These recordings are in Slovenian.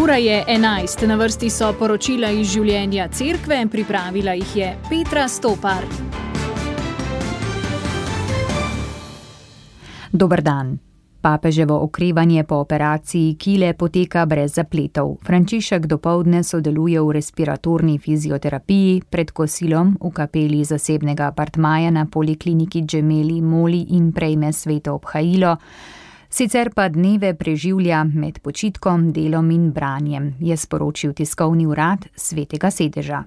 Ura je 11, na vrsti so poročila iz življenja cerkve, pripravila jih je Petra Stopar. Dober dan. Papeževo okrevanje po operaciji kile poteka brez zapletov. Frančišek dopoldne sodeluje v respiratorni fizioterapiji, pred kosilom v kapeli zasebnega apartmaja na polikliniki Gemelli Moli in prejme sveto obhajilo. Sicer pa dneve preživlja med počitkom, delom in branjem, je sporočil tiskovni urad Svetega sedeža.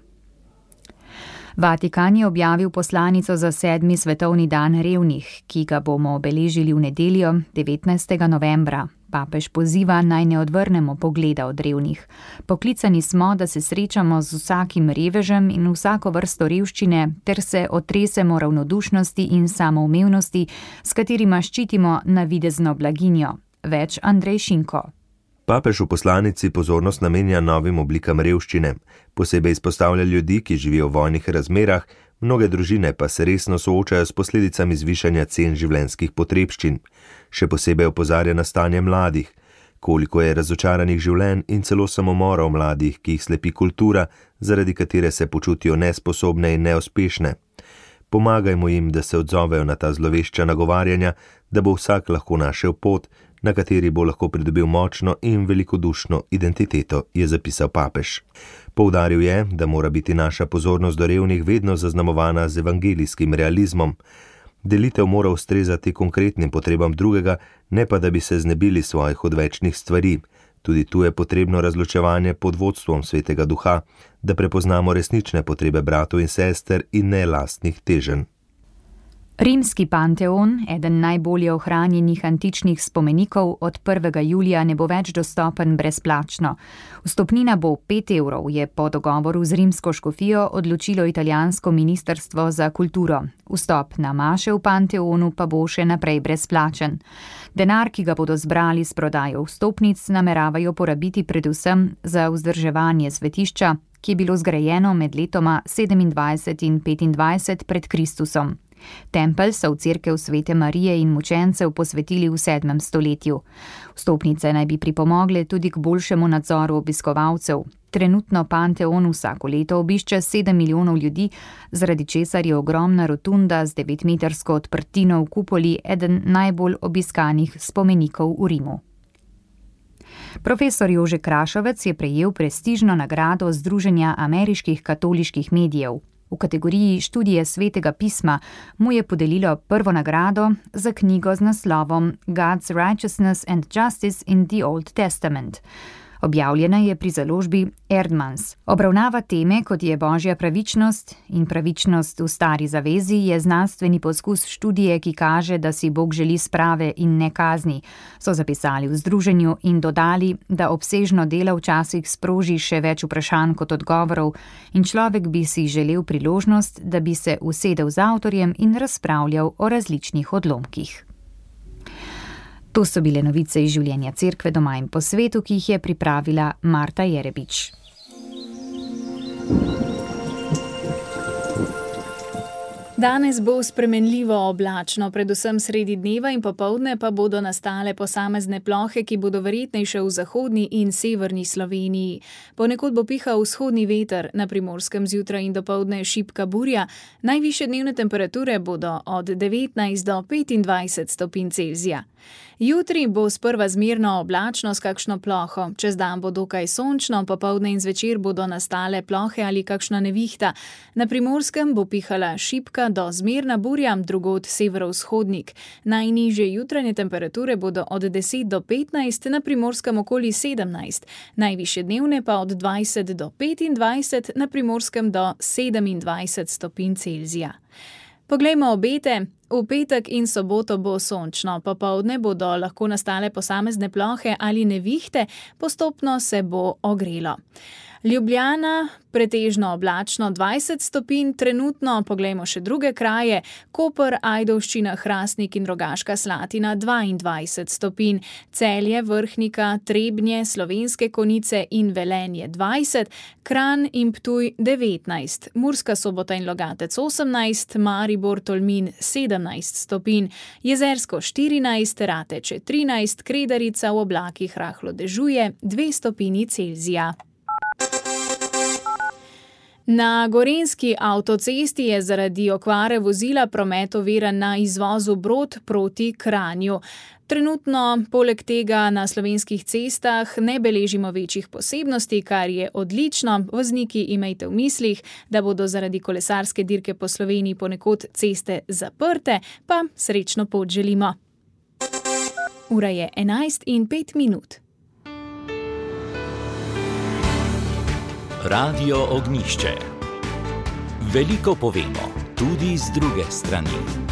Vatikan je objavil poslanico za 7. svetovni dan revnih, ki ga bomo obeležili v nedeljo 19. novembra. Papež poziva, naj ne odvrnemo pogleda od revnih. Poklicani smo, da se srečamo z vsakim revežem in vsako vrsto revščine, ter se otresemo ravnodušnosti in samoumevnosti, s katerima ščitimo navidezno blaginjo. Več Andrej Šinko. Papež v poslanici pozornost namenja novim oblikam revščine. Posebej izpostavlja ljudi, ki živijo v vojnih razmerah, mnoge družine pa se resno soočajo s posledicami zvišanja cen življenjskih potrebščin. Še posebej opozarja na stanje mladih, koliko je razočaranih življenj in celo samomorov mladih, ki jih slepi kultura, zaradi katere se počutijo nesposobne in neuspešne. Pomagajmo jim, da se odzovejo na ta zlovešča nagovarjanja, da bo vsak lahko našel pot, na kateri bo lahko pridobil močno in velikodušno identiteto, je zapisal papež. Poudaril je, da mora biti naša pozornost do revnih vedno zaznamovana z evangelijskim realizmom. Delitev mora ustrezati konkretnim potrebam drugega, ne pa da bi se znebili svojih odvečnih stvari. Tudi tu je potrebno razločevanje pod vodstvom Svetega Duha, da prepoznamo resnične potrebe bratov in sester in ne lastnih teženj. Rimski Panteon, eden najbolje ohranjenih antičnih spomenikov, od 1. julija ne bo več dostopen brezplačno. Vstopnina bo 5 evrov, je po dogovoru z rimsko škofijo odločilo italijansko ministrstvo za kulturo. Vstop na maše v Panteonu pa bo še naprej brezplačen. Denar, ki ga bodo zbrali s prodajo vstopnic, nameravajo porabiti predvsem za vzdrževanje svetišča, ki je bilo zgrajeno med letoma 27 in 25 pred Kristusom. Tempelj so v cerkev Svete Marije in mučencev posvetili v 7. stoletju. Vstopnice naj bi pripomogle tudi k boljšemu nadzoru obiskovalcev. Trenutno Panteon vsako leto obišče 7 milijonov ljudi, zaradi česar je ogromna rotunda z 9-metrsko odprtino v kupoli eden najbolj obiskanih spomenikov v Rimu. Profesor Jože Krašovec je prejel prestižno nagrado Združenja ameriških katoliških medijev. V kategoriji študije Svetega pisma mu je podelilo prvo nagrado za knjigo z naslovom God's Righteousness and Justice in the Old Testament. Objavljena je pri založbi Erdmans. Obravnava teme, kot je božja pravičnost in pravičnost v stari zavezi, je znanstveni poskus študije, ki kaže, da si Bog želi sprave in ne kazni, so zapisali v združenju in dodali, da obsežno delo včasih sproži še več vprašanj kot odgovorov in človek bi si želel priložnost, da bi se usedel z avtorjem in razpravljal o različnih odlomkih. To so bile novice iz življenja cerkve doma in po svetu, ki jih je pripravila Marta Jerebič. Danes bo spremenljivo oblačno, predvsem sredi dneva in popoldne pa bodo nastale posamezne plohe, ki bodo verjetnejše v zahodni in severni Sloveniji. Ponekod bo pihal vzhodni veter, na Primorskem zjutraj in dopoldne šibka burja, najvišje dnevne temperature bodo od 19 do 25 stopinj Celzija. Jutri bo sprva zmerno oblačno s kakšno ploho, čez dan bo dokaj sončno, popoldne in zvečer bodo nastale plohe ali kakšna nevihta. Na Primorskem bo pihala šibka do zmerna burja, drugod severovzhodnik. Najnižje jutranje temperature bodo od 10 do 15, na Primorskem okoli 17, najvišje dnevne pa od 20 do 25, na Primorskem do 27 stopinj Celzija. Poglejmo obete. V petek in soboto bo sončno, popoldne bodo lahko nastale posamezne plohe ali nevihte, postopno se bo ogrelo. Ljubljana pretežno oblačno 20 stopinj, trenutno poglejmo še druge kraje, Koper, Ajdovščina, Hrastnik in Rogaška Slatina 22 stopinj, Celje, Vrhnika, Trebnje, Slovenske Konjice in Velenje 20, Kranj in Ptuj 19, Murska Sobota in Logatec 18, Maribor, Tolmin 17 stopinj, Jezersko 14, Rateče 13, Kredarica v oblakih rahlo dežuje 2 stopinji Celzija. Na gorenjski avtocesti je zaradi okvare vozila promet oviran na izvozu Brod proti Kranju. Trenutno poleg tega na slovenskih cestah ne beležimo večjih posebnosti, kar je odlično. Vozniki imejte v mislih, da bodo zaradi kolesarske dirke po Sloveniji ponekod ceste zaprte, pa srečno pot želimo. Ura je 11:05. Radio Ognjišče. Veliko povemo, tudi z druge strani.